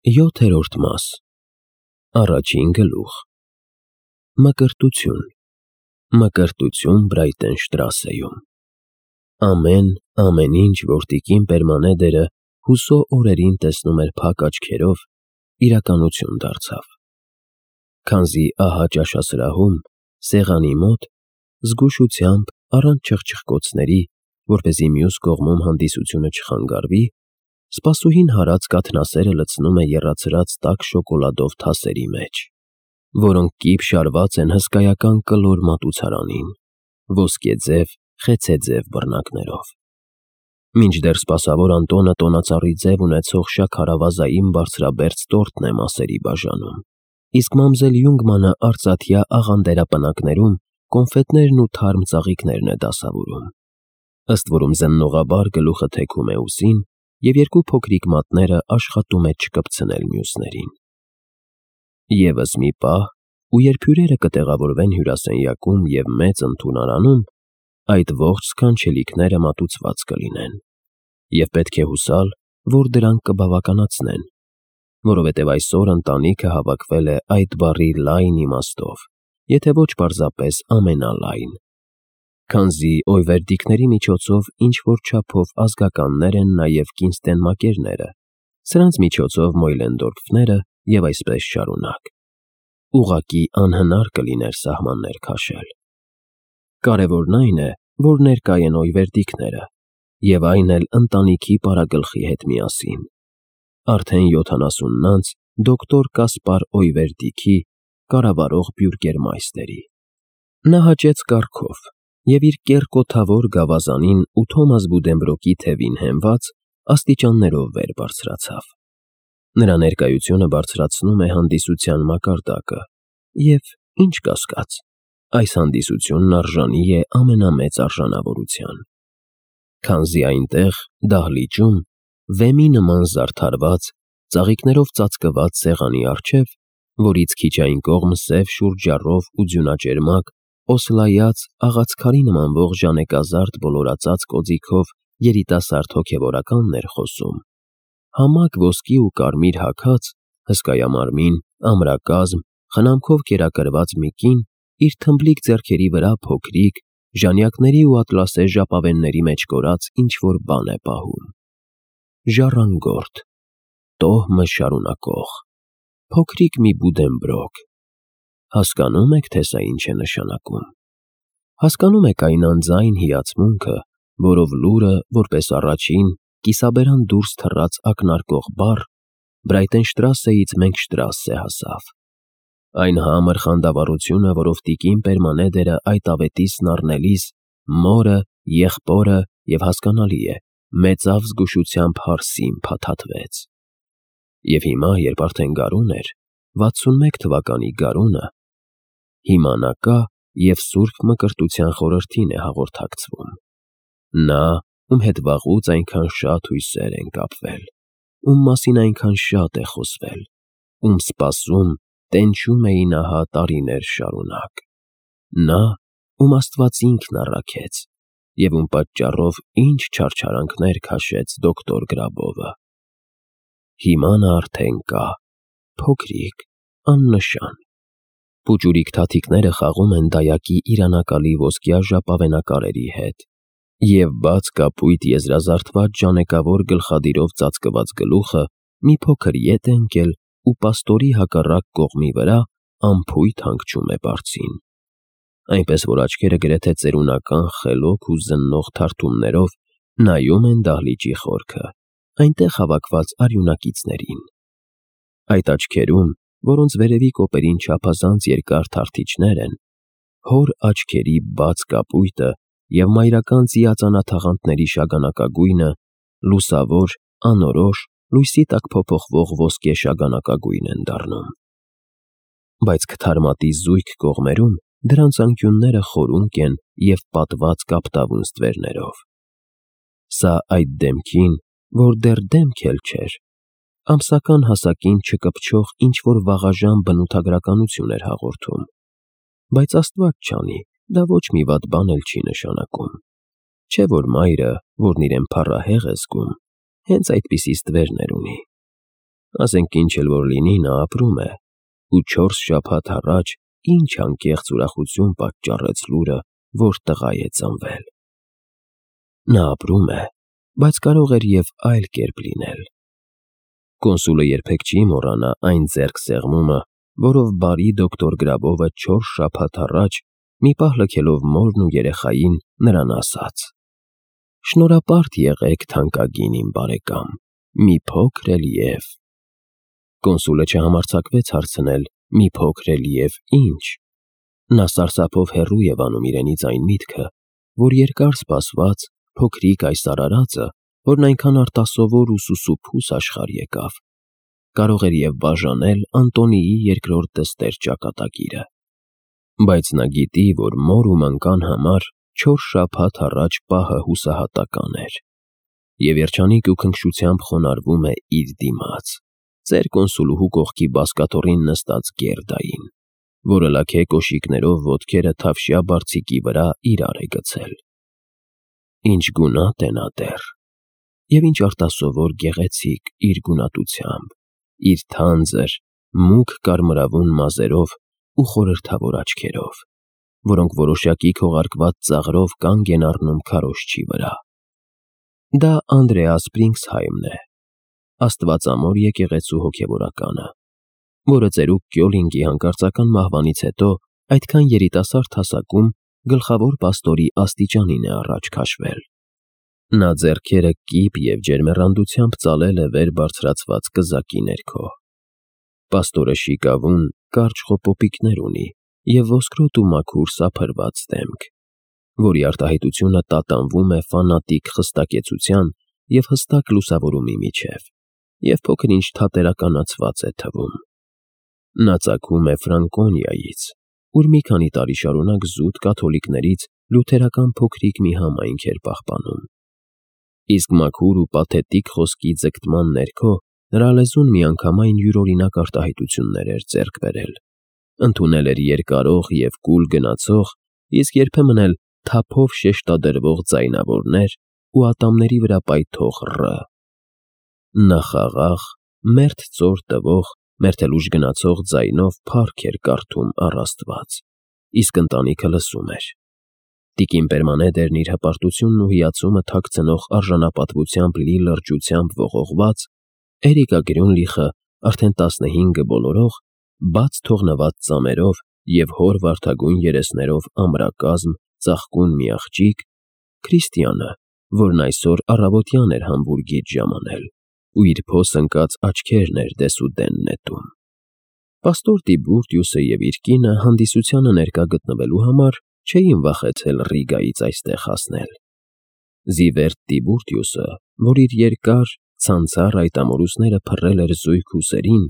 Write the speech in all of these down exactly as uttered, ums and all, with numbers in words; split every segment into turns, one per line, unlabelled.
Յոթերորդ մաս Առաջին գլուխ Մկրտություն Մկրտություն Բրայտենշտրասեում Ամեն, ամեն ինչ, որ տիկին Պերմանեդերը հուսո օրերին տեսնում էր փակ աչքերով, իրականություն դարձավ։ Քանզի ահա ճաշասրահում, սեղանի մոտ, զգուշությամբ, առանց չխչխկոցների, որպեսզի մյուս կողմում հանդիսությունը չխանգարվի, սպասուհին հարած կաթնասերը լցնում է եռացրած տաք շոկոլադով թասերի մեջ, որոնք կիպ շարված են հսկայական կլոր մատուցարանին, ոսկեձև, խեցեձև բռնակներով։ Մինչդեռ սպասավոր Անտոնը տոնածառի ձև ունեցող շաքարավազային բարձրաբերձ տորտն է մասերի բաժանում, իսկ մամզել Յունգմանը արծաթյա աղանդերապնակներում կոնֆետներն ու թարմ ծաղիկներն է դասավորում, ըստ որում զննողաբար գլուխը թեքում է ուսին, և երկու փոքրիկ մատները աշխատում է չկպցնել մյուսներին։ Եվս մի պահ, ու երբ հյուրերը կտեղավորվեն հյուրասենյակում և մեծ ընդունարանում, այդ ողջ սքանչելիքները մատուցված կլինեն, և պետք է հուսալ, որ դրանք կբավականացնեն, որովհետև այսօր ընտանիքը հավաքվել է այդ բառի լայն իմաստով, եթե ոչ պարզապես ամենալայն, քանզի օյվերդիկների միջոցով ինչ-որ չափով ազգականներ են նաև կինստենմակերները, սրանց միջոցով մոյլենդորֆները և այսպես շարունակ։ Ուղղակի անհնար կլիներ սահմաններ քաշել։ Կարևորն այն է, որ ներկա են օյվերդիկները, և այն էլ ընտանիքի պարագլխի հետ միասին, արդեն յոթանասունն անց դոկտոր Կասպար Օյվերդիքի, կառավարող բյուրգերմայստերի։ Նա հաճեց կառքով և իր կեռ կոթավոր գավազանին ու Թոմաս Բուդենբրոկի թևին հենված աստիճաններով վեր բարձրացավ։ Նրա ներկայությունը բարձրացնում է հանդիսության մակարդակը, և, ինչ կասկած, այս հանդիսությունն արժանի է ամենամեծ արժանավորության, քանզի այնտեղ, դահլիճում, վեմի նման զարդարված, ծաղիկներով ծածկված սեղանի առջև, որից քիչ այն կողմ սև շուրթժառով ու ձյունաճերմակ, օսլայած, աղացքարի նմանվող ժանեկազարդ ոլորածած կոծիկով երիտասարդ հոգևորականն էր խոսում, համակ ոսկի ու կարմիր հագած, հսկայամարմին, ամրակազմ, խնամքով կերակրված մի կին իր թմբլիկ ձեռքերի վրա փոքրիկ, ժանյակների ու ատլասե ժապավենների մեջ կորած ինչ-որ բան է պահում։ Ժառանգորդ, տոհմը շարունակող, փոքրիկ մի Բուդենբրոկ։ Հասկանո՞ւմ եք, թե սա ինչ է նշանակում։ Հասկանո՞մ եք այն անձայն հիացմունքը, որով լուրը, որպես առաջին, կիսաբերան դուրս թռած ակնարկող բառ, Բրայտենշտրասեից Մենքշտրասե հասավ։ Այն համր խանդավառությունը, որով տիկին Պերմանեդերը այդ ավետիսն առնելիս, մորը, եղբորը և, հասկանալի է, մեծավ զգուշությամբ հարսին փաթաթվեց։ Եվ հիմա, երբ արդեն գարուն էր, վաթսունմեկ թվականի գարունը, հիմա նա կա և սուրբ մկրտության խորհրդին է հաղորդակցվում։ Նա, ում հետ վաղուց այնքան շատ հույսեր են կապվել, ում մասին այնքան շատ է խոսվել, ում սպասում, տենչում էին ահա տարիներ շարունակ։ Նա, ում Աստված ինքն առաքեց, և ում պատճառով ինչ չարչարանքներ քաշեց դոկտոր Գրաբովը։ Հիմա նա արդեն կա, փոքրիկ, աննշան։ Պուճուրիկ թաթիկները խաղում են դայակի իրանակալի ոսկյա ժապավենակարերի հետ, և բաց կապույտ եզրազարդված ժանեկավոր գլխադիրով ծածկված գլուխը մի փոքր ետ է ընկել ու պաստորի հակառակ կողմի վրա անփույթ հանգչում է բարձին, այնպես որ աչքերը գրեթե ծերունական խելոք ու զննող թարթումներով նայում են դահլիճի խորքը, այնտեղ հավաքված արյունակիցներին։ Այդ աչքերում, որոնց վերևի կոպերին չափազանց երկար թարթիչներ են, հոր աչքերի բաց կապույտը և մայրական ծիածանաթաղանթների շագանակագույնը լուսավոր, անորոշ, լույսի տակ փոփոխվող ոսկե շագանակագույն են դառնում։ Բայց քթարմատի զույգ կողմերում դրանց անկյունները խորունկ են և պատված կապտավուն ստվերներով։ Սա այդ դեմքին, որ դեռ դեմք էլ չէր, ամսական հասակին չկպչող ինչ-որ վաղաժամ բնութագրականություն էր հաղորդում, բայց Աստված չանի, դա ոչ մի վատ բան էլ չի նշանակում, չէ՞ որ մայրը, որն իրեն փառահեղ է զգում, հենց այդպիսի ստվերներ ունի։ ասենք ինչ էլ որ լինի, նա ապրում է, ու չորս շաբաթ առաջ ինչ անկեղծ ուրախություն պատճառեց լուրը, որ տղա է ծնվել։ Նա ապրում է, բայց կարող էր և այլ կերպ լինել։ Կոնսուլը երբեք չի մոռանա այն ձեռքսեղմումը, որով բարի դոկտոր Գրաբովը չորս շաբաթ առաջ, մի պահ լքելով մորն ու երեխային, նրան ասաց. «Շնորհապարտ եղեք, թանկագին իմ բարեկամ, մի փոքր էլ և…» Կոնսուլը չհամարձակվեց հարցնել. «Մի փոքր էլ և ի՞նչ»։ Նա սարսափով հեռու և անում իրենից այն միտքը, որ երկար սպասված փոքրիկ այս արարածը, որն այնքան արտասովոր ու սուսուփուս աշխարհ եկավ, կարող էր և բաժանել Անտոնիի երկրորդ դստեր ճակատագիրը։ Բայց նա գիտի, որ մոր ու մանկան համար չորս շաբաթ առաջ պահը հուսահատական էր, և երջանիկ ու քնքշությամբ խոնարհվում է իր դիմաց, ծեր կոնսուլուհու կողքի բազկաթոռին նստած Գերդային, որը լաքե կոշիկներով ոտքերը թավշյա բարձիկի վրա իրար է գցել։ Ինչ գունատ է նա դեռ, և ինչ արտասովոր գեղեցիկ իր գունատությամբ, իր թանձր, մուգ կարմրավուն մազերով ու խորհրդավոր աչքերով, որոնք որոշակի քողարկված ծաղրով կանգ են առնում քարոզչի վրա։ Դա Անդրեաս Բրինքսհայմն է, աստվածամոր եկեղեցու հոգևորականը, որը ծերուկ Կյոլինգի հանկարծական մահվանից հետո այդքան երիտասարդ հասակում գլխավոր պաստորի աստիճանին է առաջ քաշվել։ Նա ձեռքերը կիպ և ջերմեռանդությամբ ծալել է վեր բարձրացված կզակի ներքո։ Պաստորը շիկավուն, կարճ խոպոպիկներ ունի և ոսկրոտ ու մաքուր սափրված դեմք, որի արտահայտությունը տատանվում է ֆանատիկ խստակեցության և հստակ լուսավորումի միջև, և փոքր-ինչ թատերականացված է թվում։ Նա ծագում է Ֆրանկոնիայից, ուր մի քանի տարի շարունակ զուտ կաթոլիկներից լյութերական փոքրիկ մի համայնք էր պահպանում։ Իսկ մաքուր ու պաթետիկ խոսքի ձգտման ներքո նրա լեզուն միանգամայն յուրօրինակ արտահայտություններ էր ձեռք բերել, ընդունել էր երկարող և կուլ գնացող, իսկ երբեմն էլ թափով շեշտադրվող ձայնավորներ ու ատամների վրա պայթող ռ։ Նա խաղաղ, մերթ ծոր տվող, մերթ էլ ուժ գնացող ձայնով փառք էր կարդում առ Աստված, իսկ ընտանիքը լսում էր։ Տիկին Պերմանեդերն իր հպարտությունն ու հիացումը թաքցնող արժանապատվությամբ լի լրջությամբ ողողված, Էրիկա Գրյունլիխը արդեն տասնհինգը բոլորող, բաց թողնված ծամերով և հոր վարդագույն երեսներով ամրակազմ, ծաղկուն մի աղջիկ, Քրիստիանը, որն այսօր առավոտյան էր Համբուրգից ժամանել ու իր փոս ընկած աչքերն էր դեսուդեն նետում։ Պաստոր Տիբուրտիուսը և իր կինը հանդիսությանը ներկա գտնվելու համար չէին վախեցել Ռիգայից այստեղ հասնել։ Զիվերտ Տիբուրտիուսը, որ իր երկար, ցանցառ այդ ամորուսները փռել էր զույգ ուսերին,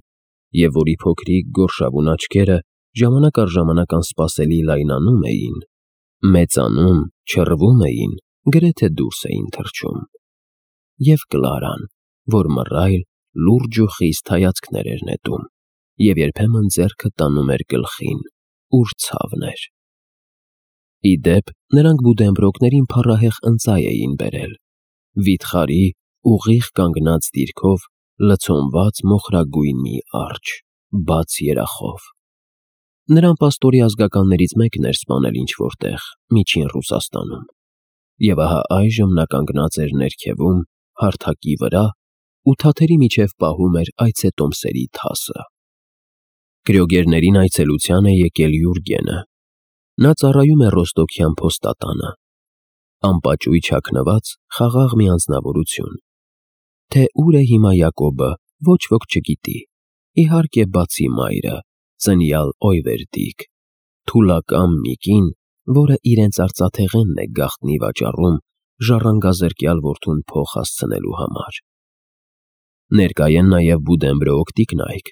և որի փոքրիկ գորշավուն աչքերը ժամանակ առ ժամանակ անսպասելի լայնանում էին, մեծանում, չռվում էին, գրեթե դուրս էին թռչում։ Եվ Կլարան, որ մռայլ, լուրջ ու խիստ հայացքներ էր նետում, և երբեմն ձեռքը տանում էր գլխին, ուր ցավն էր։ Ի դեպ, նրանք բուդենբրոկներին փառահեղ ընծայ էին բերել, վիթխարի, ուղիղ կանգնած դիրքով, լցոնված մոխրագույն մի արջը, բաց երախով։ Նրան պաստորի ազգականներից մեկն էր սպանել ինչ֊որ տեղ, միջին Ռուսաստանում, և ահա այժմ նա կանգնած էր ներքևում, հարթակի վրա ու թաթերի միջև պահում էր այցետոմսերի թասը։ Կրյոգերներին այցելության է եկել Յուրգենը։ Նա ծառայում է ռոստոկյան փոստատանը։ Անպաճույճ հագնված, խաղաղ մի անձնավորություն։ Թե ուր է հիմա Յակոբը, ոչ ոք չգիտի, իհարկե բացի մայրը, ծնյալ Օյվերդիկ, թուլակամ մի կին, որը իրենց արծաթեղենն է գաղտնի վաճառում ժառանգազրկյալ որդուն փող հասցնելու համար։ Ներկա են նաև Բուդենբրոկ տիկնայք,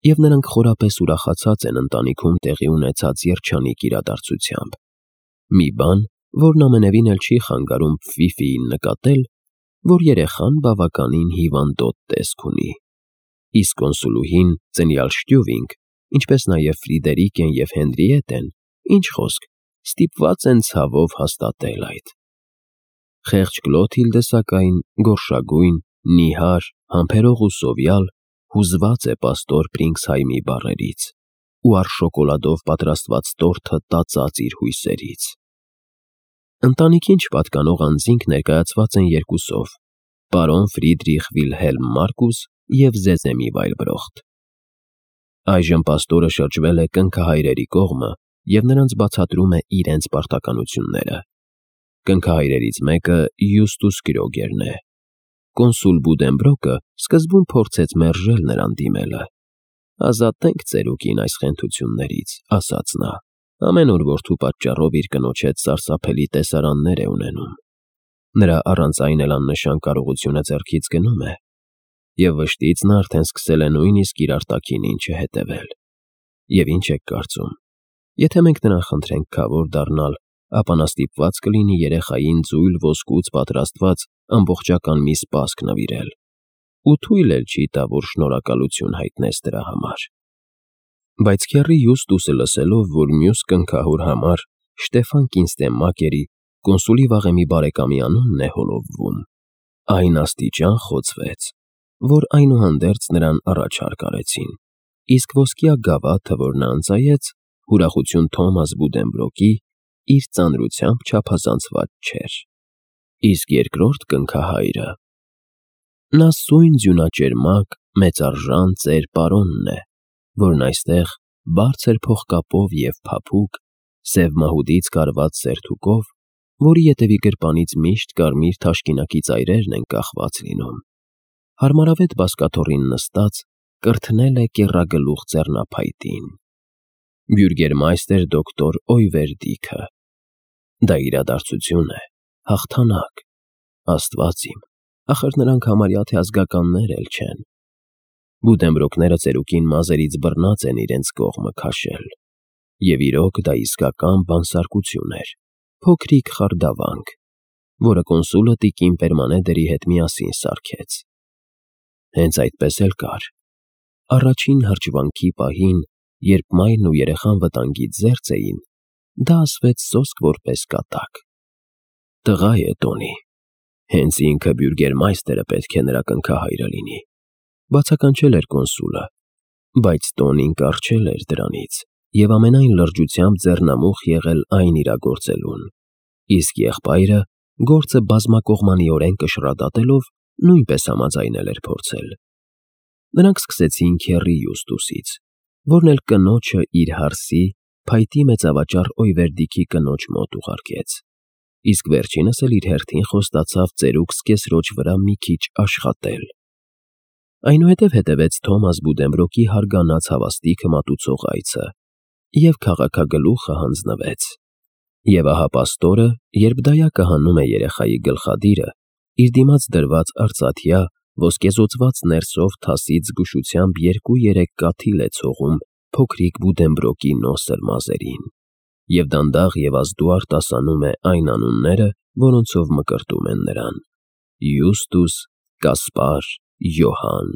և նրանք խորապես ուրախացած են ընտանիքում տեղի ունեցած երջանիկ իրադարձությամբ։ Մի բան, որն ամենևին էլ չի խանգարում Ֆիֆիին նկատել, որ երեխան բավականին հիվանդոտ տեսք ունի, իսկ կոնսուլուհին, ծնյալ Շտյուվինգ, ինչպես նաև Ֆրիդերիկեն և Հենրիետեն, ինչ խոսք, ստիպված են ցավով հաստատել այդ։ Խեղճ Կլոթիլդը, սակայն, գորշագույն, նիհար, համբերող ու սովյալ, հուզված է պաստոր Բրինքսհայմի բառերից ու առ շոկոլադով պատրաստված տորթը տածած իր հույսերից։ Ընտանիքին չպատկանող անձինք ներկայացված են երկուսով՝ պարոն Ֆրիդրիխ Վիլհելմ Մարկուս և Զեզեմի Վայլբրոխտ։ Այժմ պաստորը շրջվել է կնքահայրերի կողմը և նրանց բացատրում է իրենց պարտականությունները։ Կնքահայրերից մեկը Յուստուս Գրոգերն է։ Կոնսուլ Բուդենբրոկը սկզբում փորձեց մերժել նրան դիմելը։ «Ազատենք ծերուկին այս խենթություններից», ասաց նա, «ամեն օր որդու պատճառով իր կնոջ հետ սարսափելի տեսարաններ է ունենում։ Նրա առանց այն էլ աննշան կարողությունը ձեռքից գնում է, և վշտից նա արդեն սկսել է նույնիսկ իր արտաքինին չհետևել։ Եվ ինչ եք կարծում, եթե մենք նրան խնդրենք քավոր դառնալ, ապա նա ստիպված կլինի երեխային ձույլ ոսկուց պատրաստված ամբողջական մի սպասք նվիրել, ու թույլ էլ չի տա, որ շնորհակալություն հայտնես դրա համար»։ Բայց քեռի Յուստուսը լսելով, որ մյուս կնքահոր համար Շտեֆան Կինստենմակերի, կոնսուլի վաղեմի բարեկամի անունն է հոլովվում, այն աստիճան խոցվեց, որ այնուհանդերձ նրան առաջարկ արեցին, իսկ ոսկյա գավաթը, որ նա ընծայեց, ուրախություն Թոմաս Բուդենբրոկի, իր ծանրությամբ չափազանցված չէր։ Իսկ երկրորդ կնքահայրը… Նա սույն ձյունաճերմակ, մեծարժան ծեր պարոնն է, որն այստեղ բարձր փողկապով և փափուկ, սև մահուդից կարված սերթուկով, որի ետևի գրպանից միշտ կարմիր թաշկինակի ծայրերն են կախված լինում, հարմարավետ բազկաթոռին նստած, կրթնել է կեռագլուխ ձեռնափայտին։ Բյուրգերմայստեր դոկտոր Օյվերդիքը։ Դա իրադարձություն է, հաղթանակ, Աստված իմ, ախր նրանք համարյա թե ազգականներ էլ չեն։ Բուդենբրոկները ծերուկին մազերից բռնած են իրենց կողմը քաշել, և իրոք դա իսկական բանսարկություն էր, փոքրիկ խարդավանք, որը կոնսուլը տիկին Պերմանեդերի հետ միասին սարքեց։ Հենց այդպես էլ կար։ Առաջին հրճվանքի պահին, երբ մայրն ու երեխան վտանգից զերծ էին, դա ասվեց սոսկ որպես կատակ։ Տղա է Տոնի, հենց ինքը բյուրգերմայստերը պետք է նրա կնքահայրը լինի, բացականչել էր կոնսուլը, բայց Տոնին կառչել էր դրանից և ամենայն լրջությամբ ձեռնամուխ եղել այն իրագործելուն, իսկ եղբայրը, գործը բազմակողմանիորեն կշռադատելով, նույնպես համաձայնել էր փորձել։ Նրանք սկսեցին քեռի Յուստուսից, որն էլ կնոջը իր հարսի, փայտի մեծավաճառ Օյվերդիքի կնոջ մոտ ուղարկեց, իսկ վերջինս էլ իր հերթին խոստացավ ծերուկ սկեսրոջ վրա մի քիչ աշխատել։ Այնուհետև հետևեց Թոմաս Բուդենբրոկի հարգանած հավաստիքը մատուցող այցը, և քաղաքագլուխը հանձնվեց։ Եվ ահա պաստորը, երբ դայակը հանում է երեխայի գլխադիրը, իր դիմաց դրված արծաթյա, ոսկեզօծված ներսով թասից զգուշությամբ երկու-երեք կաթիլ է ցողում փոքրիկ Բուդենբրոկի նոսր մազերին, և դանդաղ և ազդուարտ ասանում է այն անունները, որոնցով մկրտում են նրան. Յուստուս, Կասպար, Յոհան։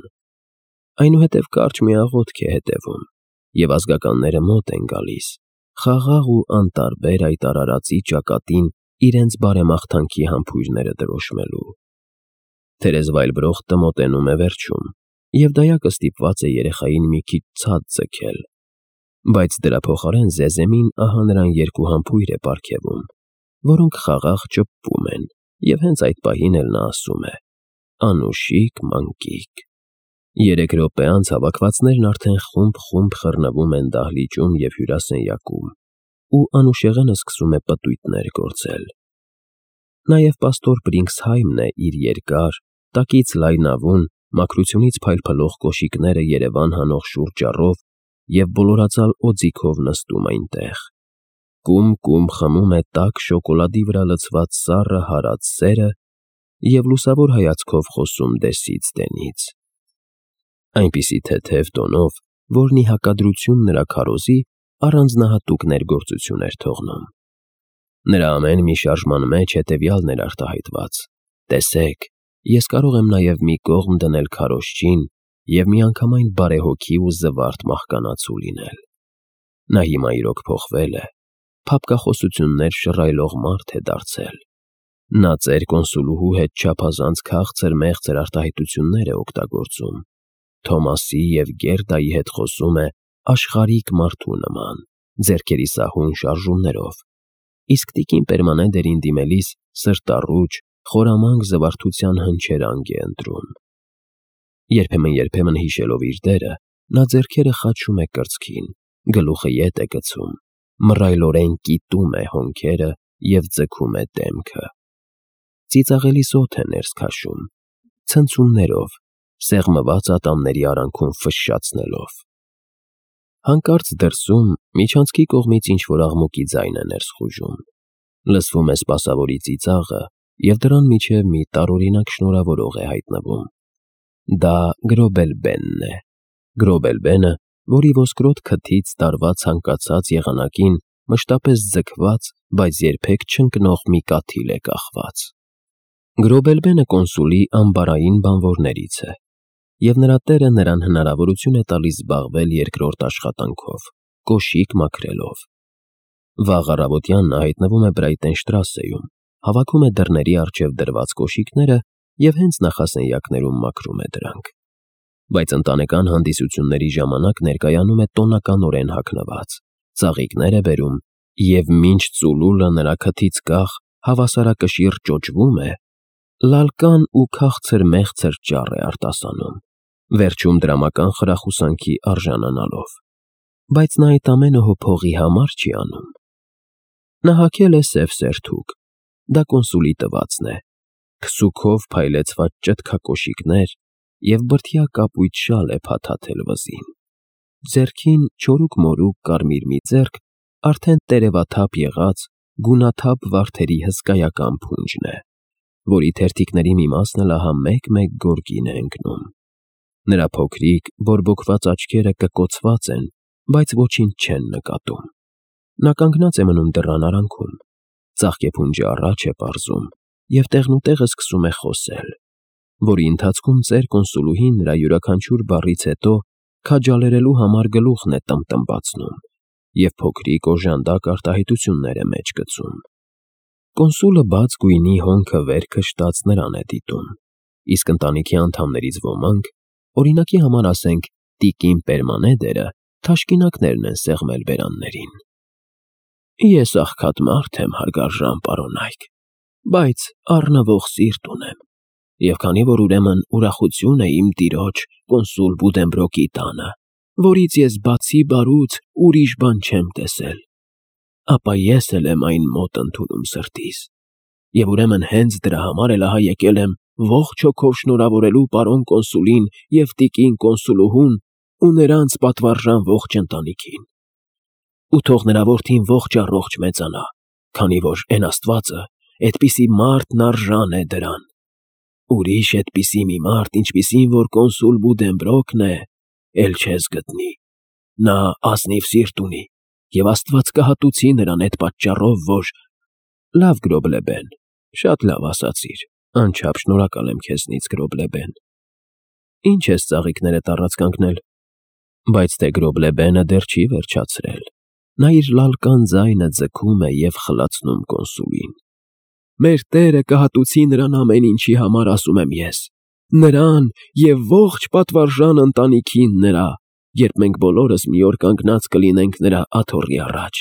Այնուհետև կարճ մի աղոթք է հետևում, և ազգականները մոտ են գալիս, խաղաղ ու անտարբեր այդ արարածի ճակատին իրենց բարեմաղթանքի համբույրները դրոշմելու։ Թերեզ Վայլբրոխտը մոտենում է վերջում, և դայակը ստիպված է երեխային մի քիչ ցած ձգել, բայց դրա փոխարեն Զեզեմին ահա նրան երկու համբույր է պարգևում, որոնք խաղաղ ճպպում են, և հենց այդ պահին էլ նա ասում է. «Անուշիկ մանկիկ»։ Երեք րոպե անց հավաքվածներն արդեն խումբ-խումբ խռնվում են դահլիճում և հյուրասենյակում, ու անուշեղենը սկսում է պտույտներ գործել։ Նաև պաստոր Բրինքսհայմն է իր երկար, տակից լայնավուն, մաքրությունից փայլփլող կոշիկները երևան հանող շուրճառով և բոլորածալ օձիքով նստում այնտեղ։ Կում-կում խմում է տաք շոկոլադի վրա լցված սառը հարած սերը և լուսավոր հայացքով խոսում դեսից դենից, այնպիսի թեթև տոնով, որն ի հակադրություն նրա քարոզի առանձնահատուկ ներգործություն էր թողնում։ Նրա ամեն մի շարժման մեջ հետևյալն էր արտահայտված. «Տեսեք, ես կարող եմ նաև մի կողմ դնել քարոզչին և միանգամայն բարեհոգի ու զվարթ մահկանացու լինել»։ Նա հիմա իրոք փոխվել է, փափկախոսություններ շռայլող մարդ է դարձել։ Նա ծեր կոնսուլուհու հետ չափազանց քաղցր֊մեղցր արտահայտություններ է օգտագործում, Թոմասի և Գերդայի հետ խոսում է աշխարհիկ մարդու նման, ձեռքերի սահուն շարժումներով, իսկ տիկին Պերմանեդերին դիմելիս սրտառուչ, խորամանկ զվարթության հնչերանգ է ընտրում։ Երբեմն-երբեմն հիշելով իր դերը, նա ձեռքերը խաչում է կրծքին, գլուխը ետ է գցում, մռայլորեն կիտում է հոնքերը և ձգում է դեմքը։ Ծիծաղելիս օդ է ներս քաշում, ցնցումներով, սեղմված ատամների արանքում ֆշշացնելով։ Հանկարծ դրսում միջանցքի կողմից ինչ-որ աղմուկի ձայն է ներս խուժում, լսվում է սպասավորի ծիծաղը և դռան միջև մի տարօրինակ շնորհավորող է հայտնվում։ Դա Գրոբել֊բենն է, Գրոբել֊բենը, որի ոսկրոտ քթից տարված ցանկացած եղանակին մշտապես ձգված, բայց երբեք չընկնող մի կաթիլ է կախված։ Գրոբել֊բենը կոնսուլի ամբարային բանվորներից է, և նրա տերը նրան հնարավորություն է տալիս զբաղվել երկրորդ աշխատանքով՝ կոշիկ մաքրելով։ Վաղ առավոտյան նա հայտնվում է Բրայտենշտրասեում, հավաքում է դռների առջև դրված կոշիկները և հենց նախասենյակներում մաքրում է դրանք։ Բայց ընտանեկան հանդիսությունների ժամանակ ներկայանում է տոնականորեն հագնված, ծաղիկներ է բերում և մինչ ծուլուլը նրա քթից կախ հավասարակշիռ ճոճվում է, լալկան ու քաղցր մեղցր ճառ է արտասանում, վերջում դրամական խրախուսանքի արժանանալով։ Բայց նա այդ ամենը հո փողի համար չի անում։ Նա հագել է սև սերթուկ, դա կոնսուլի տվածն է, քսուքով փայլեցված ճտկակոշիկներ և բրդյա կապույտ շալ է փաթաթել վզին։ Ձեռքին չորուկ֊մորուկ կարմիր մի ձեռք արդեն տերևաթափ եղած գունաթափ վարդերի հսկայական փունջն է, որի թերթիկների մի մասն էլ ահա մեկ֊մեկ գորգին է ընկնում։ Նրա փոքրիկ, բորբոքված աչքերը կկոցված են, բայց ոչինչ չեն նկատում։ Նա կանգնած է մնում դռան արանքում, ծաղկեփունջը առաջ է պարզում և տեղնուտեղը սկսում է խոսել, որի ընթացքում ծեր կոնսուլուհին նրա յուրաքանչյուր բառից հետո քաջալերելու համար գլուխն է տմբտմբացնում և փոքրիկ օժանդակ արտահայտություններ է մեջ գցում։ Կոնսուլը բաց գույնի հոնքը վեր քշտած նրան է դիտում, իսկ ընտանիքի անդամներից ոմանք, օրինակի համար ասենք տիկին Պերմանեդերը, թաշկինակներն են սեղմել բերաններին։ Ես աղքատ մարդ եմ, հարգարժան պարոնայք, բայց առնվող սիրտ ունեմ, և քանի որ ուրեմն ուրախություն է իմ տիրոջ կոնսուլ Բուդենբրոկի տանը, որից ես բացի բարուց ուրիշ բան չեմ տեսել, ապա ես էլ եմ այն մոտ ընդունում սրտիս, և ուրեմն հենց դրա համար էլ ահա եկել եմ ողջ հոգով շնորհավորելու պարոն կոնսուլին և տիկին կոնսուլուհուն ու նրանց պատվարժան ողջ ընտանիքին։ Ու թող նրա որդին ողջ֊առողջ մեծանա, քանի որ էն Աստվածը էդպիսի մարդն արժան է դրան։ Ուրիշ էդպիսի մի մարդ, ինչպիսին որ կոնսուլ Բուդենբրոկն է, էլ չես գտնի։ Նա ազնիվ սիրտ ունի, և Աստված կհատուցի նրան էդ պատճառով, որ… Լավ, Գրոբել֊բեն, շատ լավ ասացիր, անչափ շնորհակալ եմ քեզնից, Գրոբել֊բեն։ Ինչ ես ծաղիկներդ առած կանգնել։ Բայց թե Գրոբել֊բենը դեռ չի վերջացրել։ Նա իր լալկան ձայնը ձգում է և խլացնում կոնսուլին։ Մեր տերը կհատուցի նրան ամեն ինչի համար, ասում եմ ես, նրան և ողջ պատվարժան ընտանիքին նրա, երբ մենք բոլորս մի օր կանգնած կլինենք նրա աթոռի առաջ։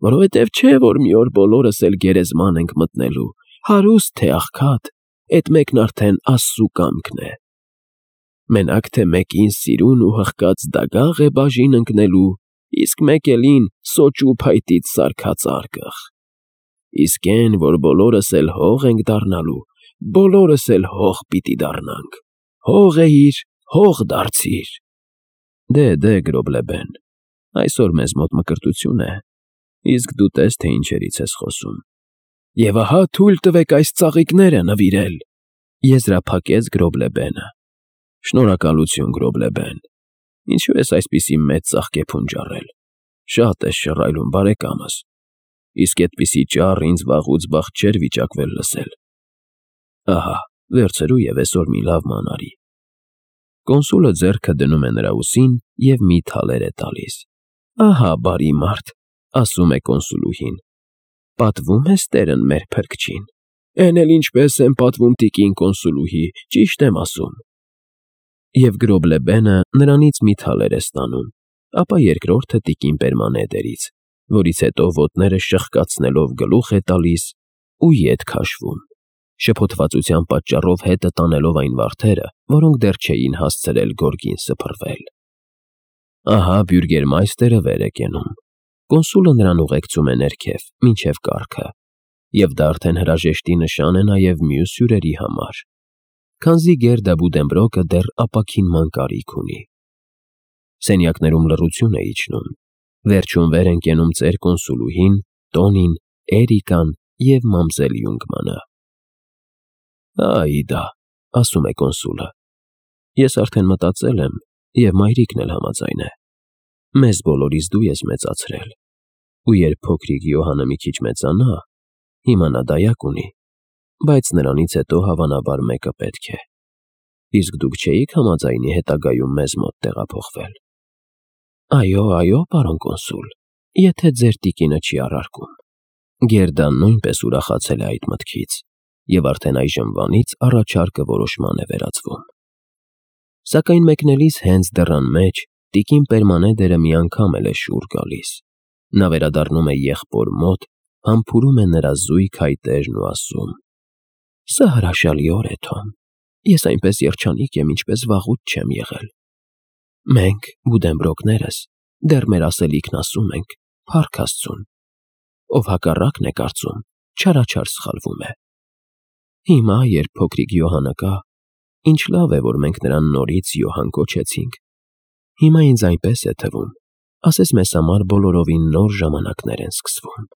Որովհետև չէ, որ մի օր բոլորս էլ գերեզման ենք մտնելու, հարուստ թե աղքատ, էդ մեկն արդեն Աստծու կամքն է։ Մենակ թե մեկին սիրուն ու հղկած դագաղ է բաժին ընկնելու, իսկ մեկ էլին սոճու փայտից սարքած արկղ։ Իսկ էն, որ բոլորս էլ հող ենք դառնալու, բոլորս էլ հող պիտի դառնանք։ Հող էիր, հող դարձիր։ Դե, դե, Գրոբել֊բեն, այսօր մեզ մոտ մկրտություն է, իսկ դու տես, թե ինչերից ես խոսում։ Եվ ահա թույլ տվեք այս ծաղիկները նվիրել, եզրափակեց Գրոբել֊բենը։ Շնորհակալություն, Գրոբել֊բեն, ինչու ես այսպիսի մեծ ծաղկեփունջ առել, շատ ես շռայլում, բարեկամս, իսկ էդպիսի ճառ ինձ վաղուց բախտ չէր վիճակվել լսել։ Ահա, վերցրու և էսօր մի լավ ման արի։ Կոնսուլը ձեռքը դնում է նրա ուսին և մի թալեր է տալիս։ Ահա բարի մարդ, ասում է կոնսուլուհին, պատվում ես տերն մեր փրկչին։ Էն էլ ինչպես եմ պատվում տիկին կոնսուլուհի, ճիշտ եմ ասում։ Եվ Գրոբլեբենը նրանից մի թալեր է ստանում, ապա երկրորդը տիկին Պերմանեդերից, որից հետո ոտները շխկացնելով գլուխ է տալիս ու ետ քաշվում, շփոթվածության պատճառով հետը տանելով այն վարդերը, որոնք դեռ չէին հասցրել գորգին սփռվել։ Ահա բյուրգերմայստերը վեր է կենում, կոնսուլը նրան ուղեկցում է ներքև, մինչև կառքը, և դա արդեն հրաժեշտի նշան է նաև մյուս հյուրերի համար, քանզի Գերդա Բուդենբրոկը դեռ ապաքինման կարիք ունի։ Սենյակներում լռություն է իջնում, վերջում վեր են կենում ծեր կոնսուլուհին, Տոնին, Էրիկան և մամզել Յունգմանը։ «Այ դա», ասում է կոնսուլը, «ես արդեն մտածել եմ, և մայրիկն էլ համաձայն է։ Մեզ բոլորիս դու ես մեծացրել, ու երբ փոքրիկ Յոհանը մի քիչ մեծանա, հիմա նա դայակ ունի, բայց նրանից հետո հավանաբար մեկը պետք է։ Իսկ դուք չէի՞ք համաձայնի հետագայում մեզ մոտ տեղափոխվել»։ «Այո, այո, պարոն կոնսուլ, եթե ձեր տիկինը չի առարկում»։ Գերդան նույնպես ուրախացել է այդ մտքից, և արդեն այժմվանից առաջարկը որոշման է վերածվում։ Սակայն մեկնելիս հենց դռան մեջ տիկին Պերմանեդերը մի անգամ էլ է շուռ գալիս։ Նա վերադառնում է եղբոր մոտ, համբուրում է նրա զույգ հայտերն ու ասում. «Սա հրաշալի օր է, Թոմ, ես այնպես երջանիկ եմ, ինչպես վաղուց չեմ եղել։ Մենք, Բուդենբրոկներս, դեռ մեր ասելիքն ասում ենք, փառք Աստծուն, ով հակառակն է կարծում, չարաչար սխալվում է։ Հիմա, երբ փոքրիկ Յոհանը կա, ինչ լավ է, որ մենք նրան նորից Յոհան կոչեցինք։ Հիմա ինձ այնպես է թվում, ասես մեզ համար բոլորովին նոր ժամանակներ են սկսվում»։